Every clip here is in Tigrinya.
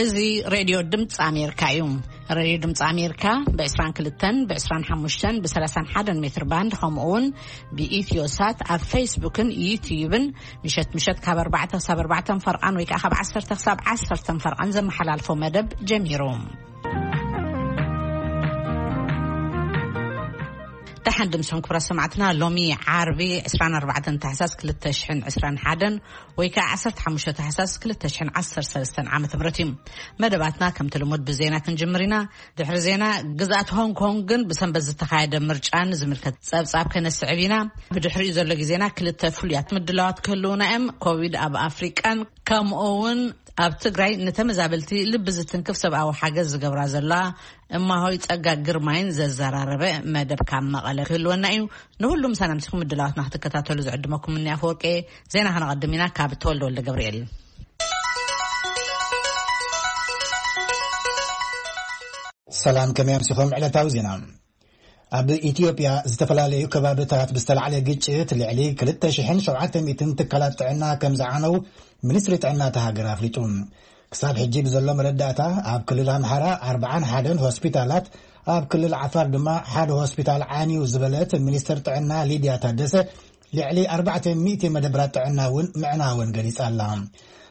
እዚ ሬድዮ ድምፂ ኣሜሪካ እዩ። ሬድዮ ድምፂ ኣሜሪካ ብ22፣ ብ25፣ ብ31 ሜትር ባንድ፣ ከምኡ እውን ብኢትዮ ሳት ኣብ ፌስቡክን ዩትዩብን ምሸት ምሸት ካብ 4 ክሳብ 4 ፈርቓን ወይ ከዓ ካብ 10 ክሳብ 10 ፈርቓን ዘመሓላልፎ መደብ ጀሚሩ። ደሓን ድምስኹም ክቡራት ሰማዕትና። ሎሚ ዓርቢ 24 ታሕሳስ 2021 ወይ ከዓ 15 ታሕሳስ 2013 ዓመተ ምህረት እዩ። መደባትና ከምቲ ልሙድ ብዜና ክንጅምር ኢና። ድሕሪ ዜና፣ ግዝኣት ሆንግ ኮንግን ብሰንበት ዝተኻየደ ምርጫን ዝምልከት ጸብጻብ ከነስዕብ ኢና። ብድሕሪኡ ዘሎ ግዜና ክልተ ፍሉያት ምድላዋት ክህልዉና እዮም። ኮቪድ ኣብ ኣፍሪቃን ከምኡ እውን ኣብ ትግራይ ንተመዛበልቲ ልቢ ዝትንክፍ ሰብኣዊ ሓገዝ ዝገብራ ዘለዋ እማሆይ ጸጋ ግርማይን ዘዘራረበ መደብ ካብ መቐለ ክህልወና እዩ። ንሁሉም ሰላምቲኩም ምድላዋትና ክትከታተሉ ዝዕድመኩም እኒ ኣፈወርቂ። ዜና ከነቐድም ኢና ካብ ተወልደ ወልደ ገብርኤል። ሰላም፣ ከመይ ኣምሲኹም? ዕለታዊ ዜና። ኣብ ኢትዮጵያ ዝተፈላለዩ ከባብታት ብዝተላዕለ ግጭት ልዕሊ 2,700 ትካላት ጥዕና ከም ዝዓነው ሚኒስትሪ ጥዕና እታ ሃገር ኣፍሊጡ። ክሳብ ሕጂ ብዘሎ መረዳእታ፣ ኣብ ክልል ኣምሓራ 41 ሆስፒታላት፣ ኣብ ክልል ዓፋር ድማ ሓደ ሆስፒታል ዓንዩ ዝበለት ሚኒስትር ጥዕና ሊድያ ታደሰ፣ ልዕሊ 400 መደብራት ጥዕና እውን ምዕናወን ገሊጻ ኣላ።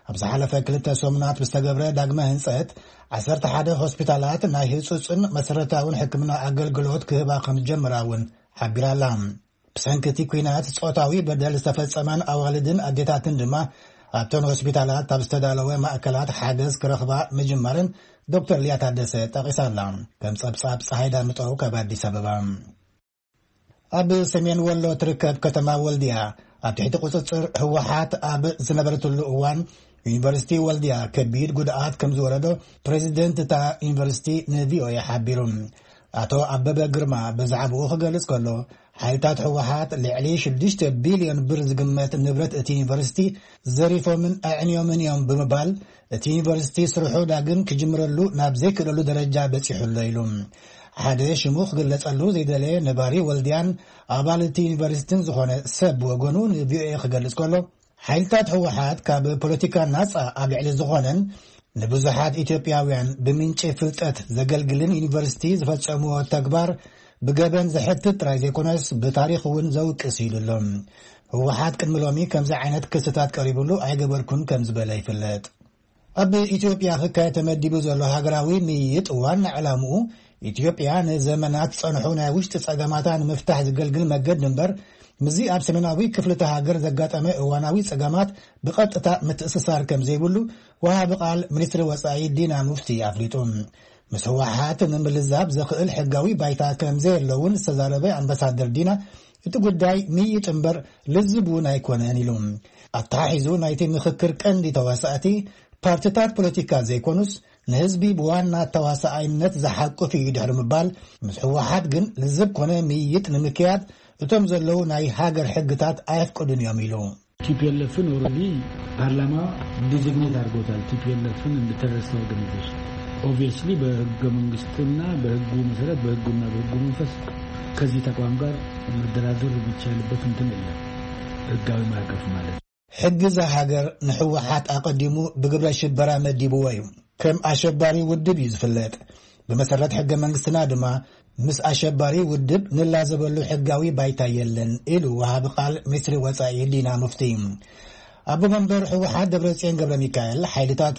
ኣብ ዝሓለፈ ክልተ ሰሙናት ብዝተገብረ ዳግመ ህንጸት፣ 11 ሆስፒታላት ናይ ህጹጽን መሰረታውን ሕክምና ኣገልግሎት ክህባ ከም ዝጀመራ እውን ሓቢራ ኣላ። ብሰንኪ እቲ ኲናት ጾታዊ በደል ዝተፈጸመን ኣዋልድን ኣዴታትን ድማ ኣብተን ሆስፒታላት ኣብ ዝተዳለወ ማእከላት ሓገዝ ክረኽባ ምጅማርን ዶክተር ሊያ ታደሰ ጠቒሳ ኣላ። ከም ጸብጻብ ጸሃይ ዳምጠው ካብ ኣዲስ ኣበባ። ኣብ ሰሜን ወሎ ትርከብ ከተማ ወልድያ ኣብ ትሕቲ ቁጽጽር ህወሓት ኣብ ዝነበረትሉ እዋን፣ ዩኒቨርሲቲ ወልድያ ከቢድ ጉድኣት ከም ዝወረዶ ፕሬዚደንት እታ ዩኒቨርሲቲ ንቪኦኤ ሓቢሩ። ኣቶ ኣበበ ግርማ ብዛዕባኡ ክገልጽ ከሎ፣ ሓይልታት ህወሓት ልዕሊ 6 ቢልዮን ብር ዝግመት ንብረት እቲ ዩኒቨርሲቲ ዘሪፎምን ኣዕንዮምን እዮም ብምባል፣ እቲ ዩኒቨርሲቲ ስርሑ ዳግም ክጅምረሉ ናብ ዘይክእለሉ ደረጃ በጺሑ ኣሎ ኢሉ። ሓደ ሽሙ ክግለጸሉ ዘይደለየ ነባሪ ወልድያን ኣባል እቲ ዩኒቨርሲቲን ዝኾነ ሰብ ብወገኑ ንቪኦኤ ክገልጽ ከሎ፣ ሓይልታት ህወሓት ካብ ፖለቲካ ናጻ ኣብ ልዕሊ ዝኾነን ንብዙሓት ኢትዮጵያውያን ብምንጪ ፍልጠት ዘገልግልን ዩኒቨርሲቲ ዝፈጸምዎ ተግባር ብገበን ዘሕትት ጥራይ ዘይኮነስ ብታሪኽ እውን ዘውቅስ ኢሉ ኣሎ። ህወሓት ቅድሚ ሎሚ ከምዚ ዓይነት ክስታት ቀሪብሉ ኣይገበርኩን ከም ዝበለ ይፍለጥ። ኣብ ኢትዮጵያ ክካየድ ተመዲቡ ዘሎ ሃገራዊ ምይይጥ ዋና ዕላምኡ ኢትዮጵያ ንዘመናት ዝጸንሑ ናይ ውሽጢ ጸገማታ ንምፍታሕ ዝገልግል መገዲ እምበር፣ ምስዚ ኣብ ሰሜናዊ ክፍልቲ ሃገር ዘጋጠመ እዋናዊ ጸገማት ብቐጥታ ምትእስሳር ከም ዘይብሉ ወሃቢ ቃል ሚኒስትሪ ወጻኢ ዲና ሙፍቲ ኣፍሊጡ። ምስ ህወሓት ንምልዛብ ዘኽእል ሕጋዊ ባይታ ከም ዘየለውን ዝተዛረበ ኣምባሳደር ዲና፣ እቲ ጉዳይ ምይይጥ እምበር ልዝብ እውን ኣይኮነን ኢሉ። ኣተሓሒዙ፣ ናይቲ ምኽክር ቀንዲ ተዋሳእቲ ፓርትታት ፖለቲካ ዘይኮኑስ፣ ንህዝቢ ብዋና ተዋሳኣይነት ዝሓቁፍ እዩ ድሕሪ ምባል፣ ምስ ህወሓት ግን ልዝብ ኮነ ምይይጥ ንምክያድ እቶም ዘለዉ ናይ ሃገር ሕግታት ኣየፍቅዱን እዮም ኢሉ። ቲፒኤልኤፍን ኦልሬዲ ፓርላማ ዲዚግኔት አድርጎታል። ቲፒኤልኤፍን እንደ ቴሮሪስት ኦርጋናይዜሽን። ኦብቪየስሊ በህገ መንግስትና በህጉ መሰረት፣ በህጉና በህጉ መንፈስ ከዚህ ተቋም ጋር መደራደር የሚቻልበት እንትን የለም። ህጋዊ ማዕቀፍ ማለት ነው። ሕጊ እዛ ሃገር ንህወሓት ኣቐዲሙ ብግብረ ሽበራ መዲብዎ እዩ። ከም ኣሸባሪ ውድብ እዩ ዝፍለጥ። ብመሰረት ሕገ መንግስትና ድማ ምስ ኣሸባሪ ውድብ ንላዘበሉ ሕጋዊ ባይታ የለን ኢሉ ወሃቢ ቃል ሚኒስትሪ ወጻኢ ዲና ሙፍቲ። ኣቦ መንበር ህወሓት ደብረጽዮን ገብረ ሚካኤል፣ ሓይልታቱ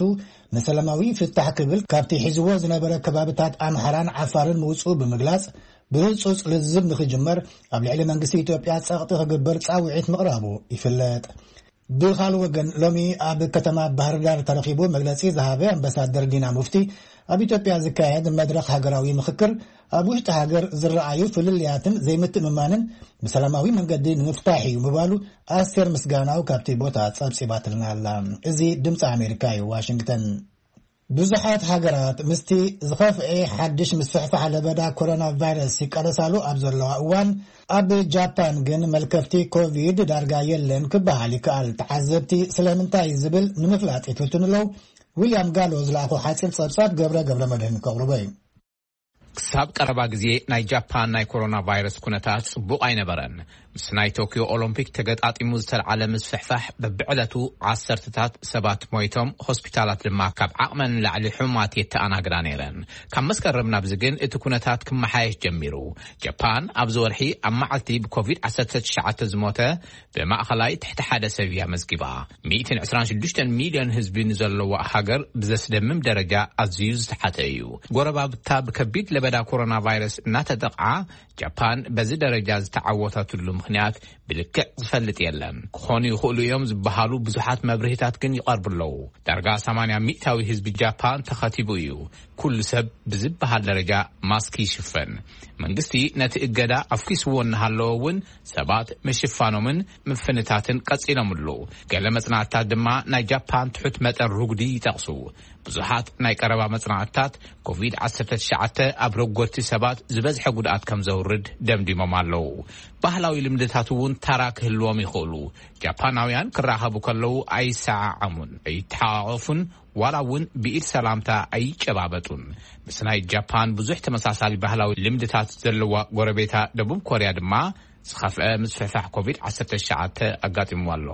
ንሰላማዊ ፍታሕ ክብል ካብቲ ሒዝዎ ዝነበረ ከባብታት ኣምሓራን ዓፋርን ምውጽኡ ብምግላጽ፣ ብህጹጽ ልዝብ ንኽጅመር ኣብ ልዕሊ መንግስቲ ኢትዮጵያ ጸቕጢ ክግበር ጻውዒት ምቕራቡ ይፍለጥ። ብኻልእ ወገን፣ ሎሚ ኣብ ከተማ ባህር ዳር ተረኺቡ መግለጺ ዝሃበ ኣምባሳደር ዲና ሙፍቲ፣ ኣብ ኢትዮጵያ ዝካየድ መድረኽ ሃገራዊ ምኽክር ኣብ ውሽጢ ሃገር ዝረኣዩ ፍልልያትን ዘይምትእምማንን ብሰላማዊ መንገዲ ንምፍታሕ እዩ ምባሉ ኣስቴር ምስጋናው ካብቲ ቦታ ጸብጺባትልና ኣላ። እዚ ድምፂ ኣሜሪካ እዩ፣ ዋሽንግተን። ብዙሓት ሃገራት ምስቲ ዝኸፍኤ ሓድሽ ምስፍሕፋሕ ለበዳ ኮሮና ቫይረስ ይቃለሳሉ ኣብ ዘለዋ እዋን፣ ኣብ ጃፓን ግን መልከፍቲ ኮቪድ ዳርጋ የለን ክበሃል ይከኣል። ተዓዘብቲ ስለምንታይ ዝብል ንምፍላጥ ይፍትኑ ኣለዉ። ዊልያም ጋሎ ዝለኣኾ ሓፂር ጸብጻብ ገብረ ገብረ መድህን ከቕርቦ እዩ። ክሳብ ቀረባ ግዜ ናይ ጃፓን ናይ ኮሮና ቫይረስ ኩነታት ጽቡቕ ኣይነበረን። ምስ ናይ ቶክዮ ኦሎምፒክ ተገጣጢሙ ዝተልዓለ ምስፍሕፋሕ በብዕለቱ ዓሰርተታት ሰባት ሞይቶም፣ ሆስፒታላት ድማ ካብ ዓቕመን ንላዕሊ ሕሙማት የተኣናግዳ ነይረን። ካብ መስከረም ናብዚ ግን እቲ ኩነታት ክመሓየሽ ጀሚሩ። ጃፓን ኣብዚ ወርሒ ኣብ መዓልቲ ብኮቪድ ዓሰርተ ትሽዓተ ዝሞተ ብማእኸላይ ትሕቲ ሓደ ሰብ እያ መዝጊባ። ሚእትን ዕስራን ሽዱሽተን ሚልዮን ህዝቢ ንዘለዋ ሃገር ብዘስደምም ደረጃ ኣዝዩ ዝተሓተ እዩ። ጎረባብታ ብከቢድ ለበዳ ኮሮና ቫይረስ እናተጠቕዓ፣ ጃፓን በዚ ደረጃ ዝተዓወተትሉ ምኽንያት ብልክዕ ዝፈልጥ የለን። ክኾኑ ይኽእሉ እዮም ዝበሃሉ ብዙሓት መብርሂታት ግን ይቐርቡ ኣለዉ። ዳርጋ ሰማንያ ሚእታዊ ህዝቢ ጃፓን ተኸቲቡ እዩ። ኩሉ ሰብ ብዝበሃል ደረጃ ማስክ ይሽፈን። መንግስቲ ነቲ እገዳ ኣፍኪስዎ እናሃለወ እውን ሰባት ምሽፋኖምን ምፍንታትን ቀጺሎምሉ። ገለ መጽናዕትታት ድማ ናይ ጃፓን ትሑት መጠን ርጉዲ ይጠቕሱ። ብዙሓት ናይ ቀረባ መጽናዕትታት ኮቪድ ዓሰርተ ትሽዓተ ኣብ ረጎድቲ ሰባት ዝበዝሐ ጉድኣት ከም ዘውርድ ደምዲሞም ኣለዉ። ባህላዊ ልምድታት እውን ታራ ክህልዎም ይኽእሉ። ጃፓናውያን ክራኸቡ ከለዉ ኣይሰዓዓሙን፣ ኣይተሓቋቐፉን፣ ዋላ እውን ብኢድ ሰላምታ ኣይጨባበጡን። ምስ ናይ ጃፓን ብዙሕ ተመሳሳሊ ባህላዊ ልምድታት ዘለዋ ጎረቤታ ደቡብ ኮርያ ድማ ዝኸፍአ ምስፍሕፋሕ ኮቪድ ዓሰርተ ትሽዓተ ኣጋጢምዋ ኣሎ።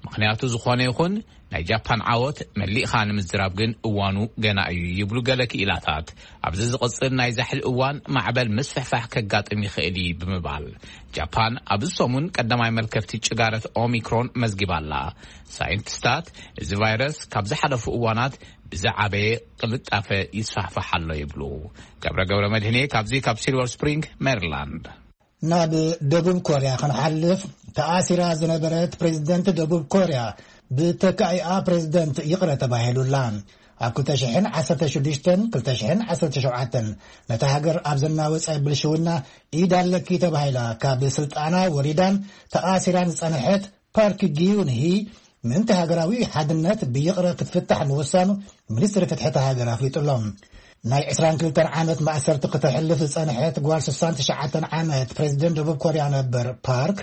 ምኽንያቱ ዝኾነ ይኹን፣ ናይ ጃፓን ዓወት መሊእኻ ንምዝራብ ግን እዋኑ ገና እዩ ይብሉ ገለ ክኢላታት። ኣብዚ ዝቕጽል ናይ ዛሕሊ እዋን ማዕበል ምስፍሕፋሕ ከጋጥም ይኽእል እዩ ብምባል፣ ጃፓን ኣብዚ ሰሙን ቀዳማይ መልከፍቲ ጭጋረት ኦሚክሮን መዝጊባ ኣላ። ሳይንቲስታት፣ እዚ ቫይረስ ካብ ዝሓለፉ እዋናት ብዝዓበየ ቅልጣፈ ይስፋሕፋሕ ኣሎ ይብሉ። ገብረ ገብረ መድህኔ ካብዚ ካብ ሲልቨር ስፕሪንግ ሜሪላንድ። ናብ ደቡብ ኮርያ ክንሓልፍ፣ ተኣሲራ ዝነበረት ፕሬዝደንት ደቡብ ኮርያ ብተካኢኣ ፕሬዝደንት ይቕረ ተባሂሉላ። ኣብ ክልተ ሽሕን ዓሰርተ ሽዱሽተን ክልተ ሽሕን ዓሰርተ ሸውዓተን ነታ ሃገር ኣብ ዘናወጸ ብልሽውና ኢድ ኣለኪ ተባሂላ ካብ ስልጣና ወሪዳን ተኣሲራን ዝጸንሐት ፓርክ ጊዩንሂ ምእንቲ ሃገራዊ ሓድነት ብይቕረ ክትፍታሕ ምውሳኑ ሚኒስትሪ ፍትሒ እታ ሃገር ኣፍሊጡ ኣሎ። ናይ ዕስራን ክልተን ዓመት ማእሰርቲ ክተሕልፍ ዝጸንሐት ጓል ስሳን ትሽዓተን ዓመት ፕሬዝደንት ደቡብ ኮርያ ነበር ፓርክ፣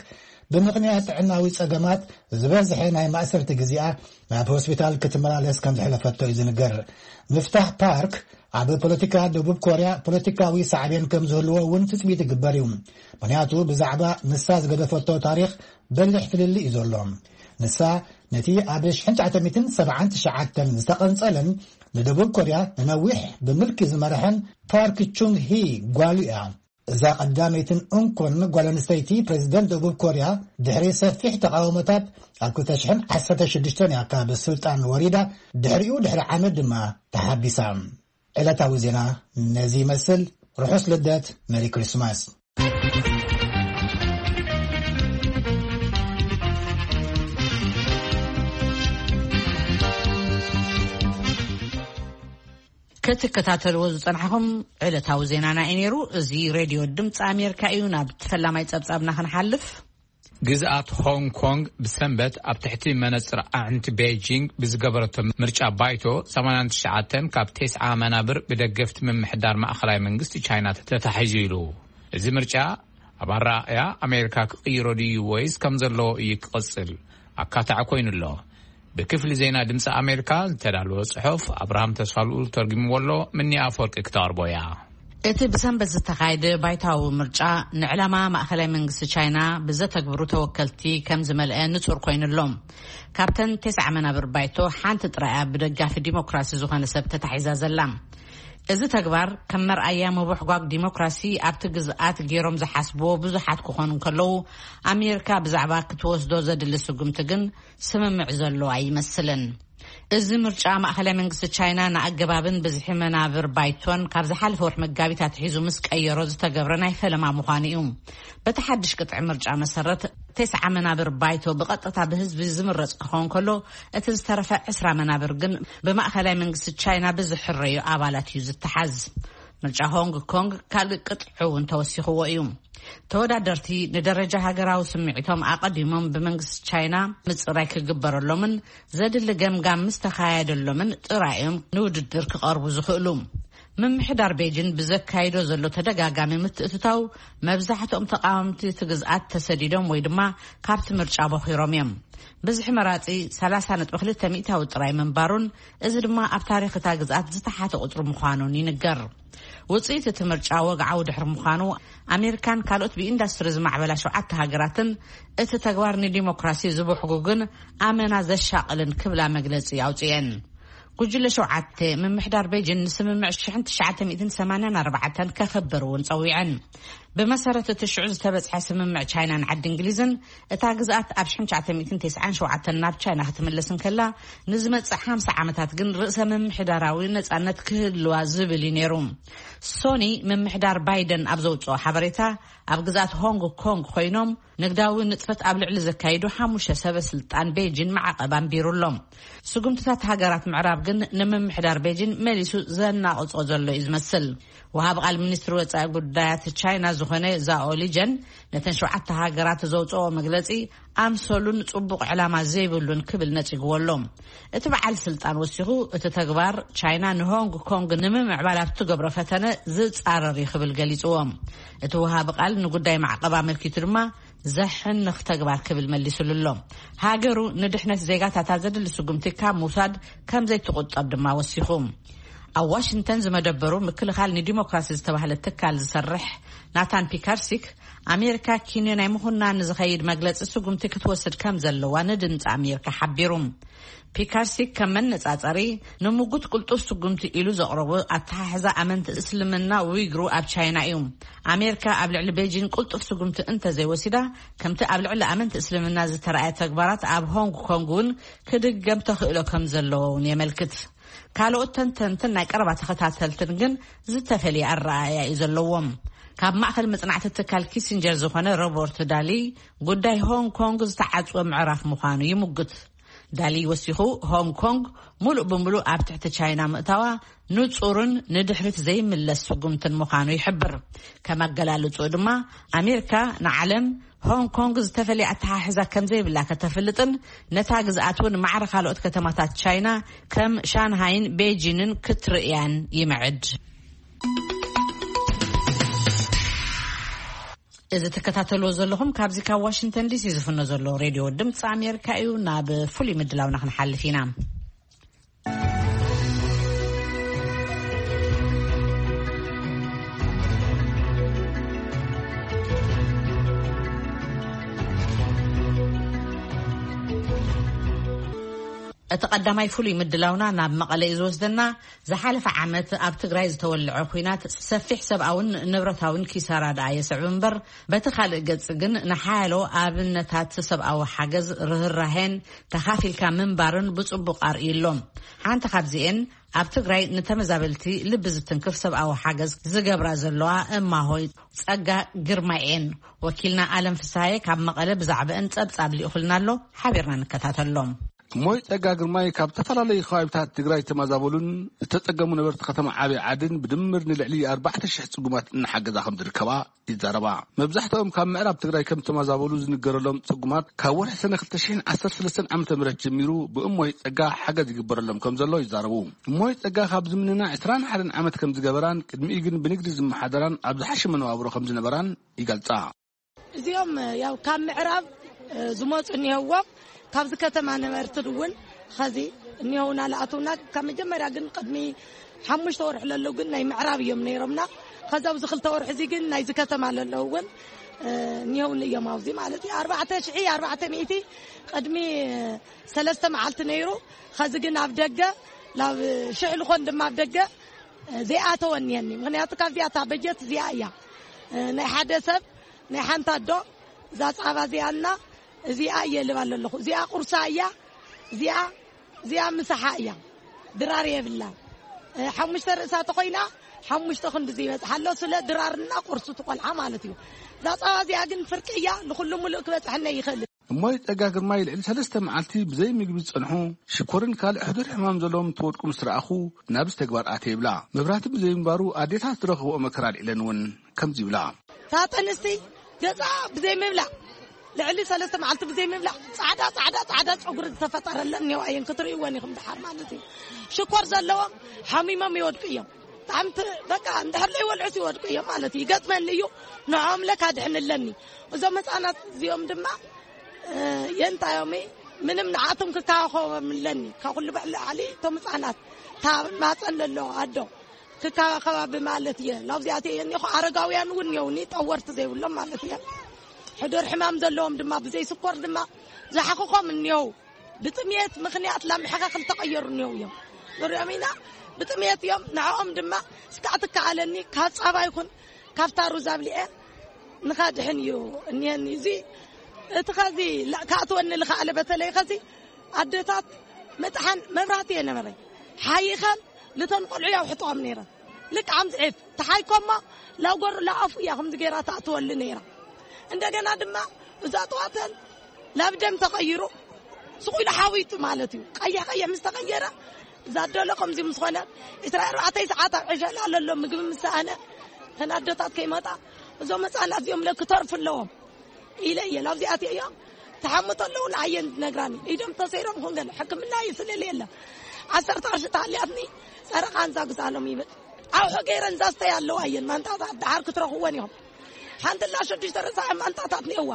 ብምኽንያት ጥዕናዊ ጸገማት ዝበዝሐ ናይ ማእሰርቲ ግዜኣ ናብ ሆስፒታል ክትመላለስ ከም ዘሕለፈቶ እዩ ዝንገር። ምፍታሕ ፓርክ ኣብ ፖለቲካ ደቡብ ኮርያ ፖለቲካዊ ሳዕቤን ከም ዝህልዎ እውን ትጽቢት ይግበር እዩ። ምኽንያቱ ብዛዕባ ንሳ ዝገደፈቶ ታሪኽ በሊሕ ፍልልይ እዩ ዘሎ። ንሳ ነቲ ኣብ ሽሕን ትሽዓተ ሚእትን ሰብዓን ትሽዓተን ዝተቐንጸለን ንደቡብ ኮርያ ንነዊሕ ብምልኪ ዝመርሐን ፓርክ ቹንግ ሂ ጓሉ እያ። እዛ ቀዳመይትን እንኮን ጓል ኣንስተይቲ ፕሬዝደንት ደቡብ ኮርያ ድሕሪ ሰፊሕ ተቓውሞታት ኣብ ክልተ ሽሕን ዓሰርተ ሽዱሽተን እያ ካብ ስልጣን ወሪዳ። ድሕሪኡ ድሕሪ ዓመት ድማ ተሓቢሳ። ዕለታዊ ዜና ነዚ ይመስል። ርሑስ ልደት፣ ሜሪ ክሪስማስ። ክትከታተልዎ ዝጸናሕኹም ዕለታዊ ዜናና እዩ ነይሩ። እዚ ሬድዮ ድምፂ ኣሜሪካ እዩ። ናብ ፈላማይ ጸብጻብና ክንሓልፍ። ግዝኣት ሆንግ ኮንግ ብሰንበት ኣብ ትሕቲ መነጽር ኣዕንቲ ቤጂንግ ብዝገበረቶ ምርጫ ባይቶ ሰማንያን ትሽዓተን ካብ ተስዓ መናብር ብደገፍቲ ምምሕዳር ማእኸላይ መንግስቲ ቻይና ተታሒዙ ኢሉ። እዚ ምርጫ ኣብ ኣረኣእያ ኣሜሪካ ክቕይሮ ድዩ ወይስ ከም ዘለዎ እዩ ክቕጽል ኣካታዒ ኮይኑ ኣሎ። ብክፍሊ ዜና ድምፂ ኣሜሪካ ዝተዳለወ ጽሑፍ ኣብርሃም ተስፋልኡል ተርጉምዎ ኣሎ። ምኒ ኣፈወርቂ ክተቕርቦ እያ። እቲ ብሰንበት ዝተኻየደ ባይታዊ ምርጫ ንዕላማ ማእኸላይ መንግስቲ ቻይና ብዘተግብሩ ተወከልቲ ከም ዝመልአ ንጹር ኮይኑ ኣሎ። ካብተን ተስዓ መናብር ባይቶ ሓንቲ ጥራይ እያ ብደጋፊ ዲሞክራሲ ዝኾነ ሰብ ተታሒዛ ዘላ። እዚ ተግባር ከም መርኣያ ምብሕጓግ ዲሞክራሲ ኣብቲ ግዝኣት ገይሮም ዝሓስብዎ ብዙሓት ክኾኑ እንከለዉ፣ ኣሜሪካ ብዛዕባ ክትወስዶ ዘድሊ ስጉምቲ ግን ስምምዕ ዘሎ ኣይመስልን። እዚ ምርጫ ማእኸላይ መንግስቲ ቻይና ንኣገባብን ብዝሒ መናብር ባይቶን ካብ ዝሓለፈ ወርሒ መጋቢት ኣትሒዙ ምስ ቀየሮ ዝተገብረ ናይ ፈለማ ምዃኑ እዩ። በቲ ሓድሽ ቅጥዒ ምርጫ መሰረት፣ ተስዓ መናብር ባይቶ ብቐጥታ ብህዝቢ ዝምረጽ ክኸውን ከሎ፣ እቲ ዝተረፈ ዕስራ መናብር ግን ብማእኸላይ መንግስቲ ቻይና ብዝሕረዩ ኣባላት እዩ ዝተሓዝ። ምርጫ ሆንግ ኮንግ ካልእ ቅጥዒ እውን ተወሲኽዎ እዩ። ተወዳደርቲ ንደረጃ ሃገራዊ ስምዒቶም ኣቐዲሞም ብመንግስቲ ቻይና ምጽራይ ክግበረሎምን ዘድሊ ገምጋም ምስ ተኻየደሎምን ጥራይ እዮም ንውድድር ክቐርቡ ዝኽእሉ። ምምሕዳር ቤጂን ብዘካይዶ ዘሎ ተደጋጋሚ ምትእትታው፣ መብዛሕትኦም ተቃወምቲ እቲ ግዝኣት ተሰዲዶም ወይ ድማ ካብቲ ምርጫ ቦኺሮም እዮም። ብዝሒ መራጺ ሰላሳ ነጥቢ ክልተ ሚእታዊ ጥራይ ምንባሩን፣ እዚ ድማ ኣብ ታሪኽ እታ ግዝኣት ዝተሓተ ቁጽሪ ምዃኑን ይንገር። ውጽኢት እቲ ምርጫ ወግዓዊ ድሕሪ ምዃኑ፣ ኣሜሪካን ካልኦት ብኢንዳስትሪ ዝማዕበላ ሸውዓተ ሃገራትን እቲ ተግባር ንዲሞክራሲ ዝብሕጉግን ኣመና ዘሻቕልን ክብላ መግለጺ ኣውጽኤን። ጉጅለ ሸውዓተ፣ ምምሕዳር ቤጂን ንስምምዕ ሽሕን ትሽዓተ ሚእትን ሰማንያን ኣርባዕተን ከኽብር እውን ጸዊዐን። ብመሰረት እቲ ሽዑ ዝተበጽሐ ስምምዕ ቻይናን ዓዲ እንግሊዝን፣ እታ ግዝኣት ኣብ ሽሕን ትሽዓተ ሚእትን ተስዓን ሸውዓተን ናብ ቻይና ክትምለስ እንከላ፣ ንዝመጽእ ሓምሳ ዓመታት ግን ርእሰ ምምሕዳራዊ ነጻነት ክህልዋ ዝብል እዩ ነይሩ። ሶኒ፣ ምምሕዳር ባይደን ኣብ ዘውጽኦ ሓበሬታ፣ ኣብ ግዝኣት ሆንግ ኮንግ ኮይኖም ንግዳዊ ንጥፈት ኣብ ልዕሊ ዘካይዱ ሓሙሽተ ሰበ ስልጣን ቤጂን ማዕቐብ ኣንቢሩ ኣሎ። ስጉምትታት ሃገራት ምዕራብ ግን ንምምሕዳር ቤጂን መሊሱ ዘናቕጾ ዘሎ እዩ ዝመስል። ወሃቢ ቃል ሚኒስትሪ ወጻኢ ጉዳያት ቻይና ዝኾነ ዛኦ ሊጀን፣ ነተን ሸውዓተ ሃገራት ዘውጽኦ መግለጺ ኣምሰሉን ጽቡቕ ዕላማ ዘይብሉን ክብል ነጺግዎ ኣሎ። እቲ በዓል ስልጣን ወሲኹ፣ እቲ ተግባር ቻይና ንሆንግ ኮንግ ንምምዕባል ኣብ ትገብሮ ፈተነ ዝጻረር እዩ ክብል ገሊጽዎ። እቲ ወሃቢ ቃል ንጉዳይ ማዕቐብ ኣመልኪቱ ድማ ዘሕንኽ ተግባር ክብል መሊሱሉ ኣሎ። ሃገሩ ንድሕነት ዜጋታታ ዘድሊ ስጉምቲ ካብ ምውሳድ ከም ዘይትቑጠብ ድማ ወሲኹ። ኣብ ዋሽንግተን ዝመደበሩ ምክልኻል ንዲሞክራሲ ዝተባህለ ትካል ዝሰርሕ ናታን ፒካርሲክ፣ ኣሜሪካ ኪንዮ ናይ ምኹናን ዝኸይድ መግለጺ ስጉምቲ ክትወስድ ከም ዘለዋ ንድምፂ ኣሜሪካ ሓቢሩ። ፒካርሲክ ከም መነጻጸሪ፣ ንምጉት ቅልጡፍ ስጉምቲ ኢሉ ዘቕረቦ ኣተሓሕዛ ኣመንቲ እስልምና ዊግሩ ኣብ ቻይና እዩ። ኣሜሪካ ኣብ ልዕሊ ቤጂን ቅልጡፍ ስጉምቲ እንተዘይወሲዳ፣ ከምቲ ኣብ ልዕሊ ኣመንቲ እስልምና ዝተረኣየ ተግባራት ኣብ ሆንግ ኮንግ እውን ክድገም ተኽእሎ ከም ዘለዎ እውን የመልክት። ካልኦት ተንተንትን ናይ ቀረባ ተኸታተልትን ግን ዝተፈልየ ኣረኣእያ እዩ ዘለዎም። ካብ ማእከል መጽናዕቲ ትካል ኪሲንጀር ዝኾነ ሮበርት ዳሊ፣ ጉዳይ ሆንግ ኮንግ ዝተዓጽወ ምዕራፍ ምዃኑ ይምጉት። ዳሊ ወሲኹ፣ ሆንግ ኮንግ ሙሉእ ብምሉእ ኣብ ትሕቲ ቻይና ምእታዋ ንጹርን ንድሕሪት ዘይምለስ ስጉምትን ምዃኑ ይሕብር። ከም ኣገላልጽኡ ድማ፣ ኣሜሪካ ንዓለም ሆንግ ኮንግ ዝተፈለየ ኣተሓሕዛ ከም ዘይብላ ከተፍልጥን፣ ነታ ግዝኣት እውን ማዕረ ካልኦት ከተማታት ቻይና ከም ሻንሃይን ቤጂንን ክትርእያን ይምዕድ። እዚ ትከታተልዎ ዘለኹም ካብዚ ካብ ዋሽንግተን ዲሲ ዝፍኖ ዘሎ ሬድዮ ድምፂ ኣሜሪካ እዩ። ናብ ፍሉይ ምድላውና ክንሓልፍ ኢና። እቲ ቀዳማይ ፍሉይ ምድላውና ናብ መቐለ እዩ ዝወስደና። ዝሓለፈ ዓመት ኣብ ትግራይ ዝተወልዐ ኲናት ሰፊሕ ሰብኣውን ንብረታውን ኪሳራ ደኣ የስዕብ እምበር፣ በቲ ካልእ ገጽ ግን ንሓያሎ ኣብነታት ሰብኣዊ ሓገዝ፣ ርህራሄን ተኻፊልካ ምንባርን ብጽቡቕ ኣርእዩ ኣሎ። ሓንቲ ካብዚኤን ኣብ ትግራይ ንተመዛበልቲ ልቢ ዝትንክፍ ሰብኣዊ ሓገዝ ዝገብራ ዘለዋ እማሆይ ጸጋ ግርማይ እየን። ወኪልና ኣለም ፍስሃየ ካብ መቐለ ብዛዕባአን ጸብጻብ ልኢኹልና ኣሎ። ሓቢርና ንከታተሎም። እሞይ ጸጋ ግርማይ ካብ ዝተፈላለዩ ከባቢታት ትግራይ ዝተመዛበሉን ዝተጸገሙ ነበርቲ ከተማ ዓብይ ዓድን ብድምር ንልዕሊ ኣርባዕተ ሽሕ ጽጉማት እናሓገዛ ከም ዝርከባ ይዛረባ። መብዛሕትኦም ካብ ምዕራብ ትግራይ ከም ዝተመዛበሉ ዝንገረሎም ጽጉማት፣ ካብ ወርሒ ሰነ ክልተ ሽሕን ዓሰርተ ሰለስተን ዓመተ ምህረት ጀሚሩ ብእሞይ ጸጋ ሓገዝ ይግበረሎም ከም ዘሎ ይዛረቡ። እሞይ ጸጋ ካብ ዝምንና ዕስራን ሓደን ዓመት ከም ዝገበራን፣ ቅድሚኡ ግን ብንግዲ ዝመሓደራን ኣብ ዝሓሸ መነባብሮ ከም ዝነበራን ይገልጻ። እዚኦም ያው ካብ ምዕራብ፣ እ፣ ዝመጹ እኒሀዎም፣ ካብዚ ከተማ ነበርቲ እውን ኸዚ እኒሀውና፣ ለኣተውና። ካብ መጀመርያ ግን ቅድሚ ሓሙሽተ ወርሒ ለለዉ ግን ናይ ምዕራብ እዮም ነይሮምና። ከዚ ኣብዚ ክልተ ወርሒ እዚ ግን ናይዚ ከተማ ለለዉ እውን፣ እ፣ እኒሀውኒ እዮም። ኣብዚ ማለት እዩ ኣርባዕተ ሽሕ ኣርባዕተ ሚእቲ ቅድሚ ሰለስተ መዓልቲ ነይሩ። ኸዚ ግን ኣብ ደገ ናብ ሽሕ ልኾን ድማ ኣብ ደገ፣ እ፣ ዘይኣተወ እኒሀኒ። ምኽንያቱ ካብዚኣ እታ በጀት እዚኣ እያ፣ እ፣ ናይ ሓደ ሰብ ናይ ሓንቲ ኣዶ እዛ ጻባ እዚኣና እዚኣ እየ ልባ ኣለኹ። እዚኣ ቁርሳ እያ፣ እዚኣ፣ እዚኣ ምሳሓ እያ። ድራር የብላን። እ፣ ሓሙሽተ ርእሳ ተኾይና ሓሙሽተ ክንዲ ዘይበጽሓ ኣሎ። ስለ ድራርና ቁርሱ ትቆልዓ ማለት እዩ። እዛ ጻባ እዚኣ ግን ፍርቂ እያ፣ ንኹሉ ሙሉእ ክበጽሐና ይኽእል። እሞይ ጸጋ ግርማይ ልዕሊ ሰለስተ መዓልቲ ብዘይ ምግቢ ዝጸንሑ፣ ሽኮርን ካልእ ሕዱር ሕማም ዘለዎም እንትወድቁ ምስ ረኣኹ፣ ናብዚ ተግባር ኣትየ ይብላ። መብራህቲ ብዘይምንባሩ ኣዴታት ዝረኸብኦ መከራ ኣልዒለን እውን ከምዚ ይብላ። እታ ጥንስቲ ገጻ ብዘይ ምብላዕ፣ ልዕሊ ሰለስተ መዓልቲ ብዘይ ምብላዕ፣ ጻዕዳ፣ ጻዕዳ፣ ጻዕዳ ጸጉሪ ዝተፈጠረለን እኒኦ እየን ክትርእይወን ኢኹም ደሓር ማለት እዩ። ሽኮር ዘለዎም ሓሚሞም ይወድቁ እዮም። ብጣዕሚ ት-፣ በቃ እንድሕር ዘይበልዑስ ይወድቁ እዮም ማለት እዩ። ይገጥመኒ እዩ። ንዕኦም ለካ ድሕንለኒ። እዞም ህፃናት እዚኦም ድማ፣ እ፣ የንታዮም ምንም ንዓቶም ክከባኸቦም ኣለኒ። ካብ ኩሉ ብላዕሊ እቶም ህፃናት፣ እታ ማፀን ዘሎ ኣዶ ክከባኸባ ብማለት እየ። ናብዚኣት እየ እኒኹ። ኣረጋውያን እውን እየውኒ፣ ጠወርቲ ዘይብሎም ማለት እየ። ሕዱር ሕማም ዘለዎም ድማ ብዘይ ስኮር ድማ ዝሓኽኾም እኒው። ብጥሜት ምኽንያት ላምሕኻ ክልተቐየሩ እኒው እዮም። ንሪኦም ኢና። ብጥሜት እዮም። ንዕኦም ድማ እስካዕ ትከኣለኒ ካብ ፃባ ይኹን ካብታ ሩዝ ኣብሊዐ ንኻድሕን እዩ እኒሀኒ። እዚ እቲ ኸዚ ላ-፣ ክኣትወኒ ልኸኣለ፣ በተለይ ኸዚ ኣደታት ምጥሓን መብራህቲ እየ ነበረ። ሓይኸን ልተን ቆልዑ ያውሕጥኦም ነይረ። ልክዓም ዝዒፍ ተሓይኮሞ ላጎር ላኣፉ እያ ከምዚ ገይራ ትኣትወሉ ነይራ። እንደገና ድማ እዛ ጠዋተን ላብ ደም ተቐይሩ ስቑ ኢሉ ሓዊጡ ማለት እዩ። ቀይሕ ቀይሕ ምስ ተቐየረ እዛ ደሎ ከምዚ ምስ ኾነ ዕስራ ኣርባዕተ ሰዓት ኣብ ዕሸል ኣለሎ ምግቢ ምስ ሰኣነ ተን ኣደታት ከይመጣ እዞም ህፃናት እዚኦም ለክተርፉ ኣለዎም ኢለ እየ ላብዚኣት እዮም። ተሓምቶ ኣለዉ ንዓየን ዝነግራኒ ኢዶም ተሰይሮም ኩን ገለ ሕክምና ይስልል የለ። ዓሰርተ ቅርሺ ተሃልያትኒ ጸረቓ እንዛ ግዛሎም ይብል። ኣውሑ ገይረን ዛስተይ ኣለዋ እየን ማንጣታት ደሓር ክትረኽወን ኢኹም። ሓንቲ ላ ሽዱሽተ ርእሳ ማንጣታት ነዋ።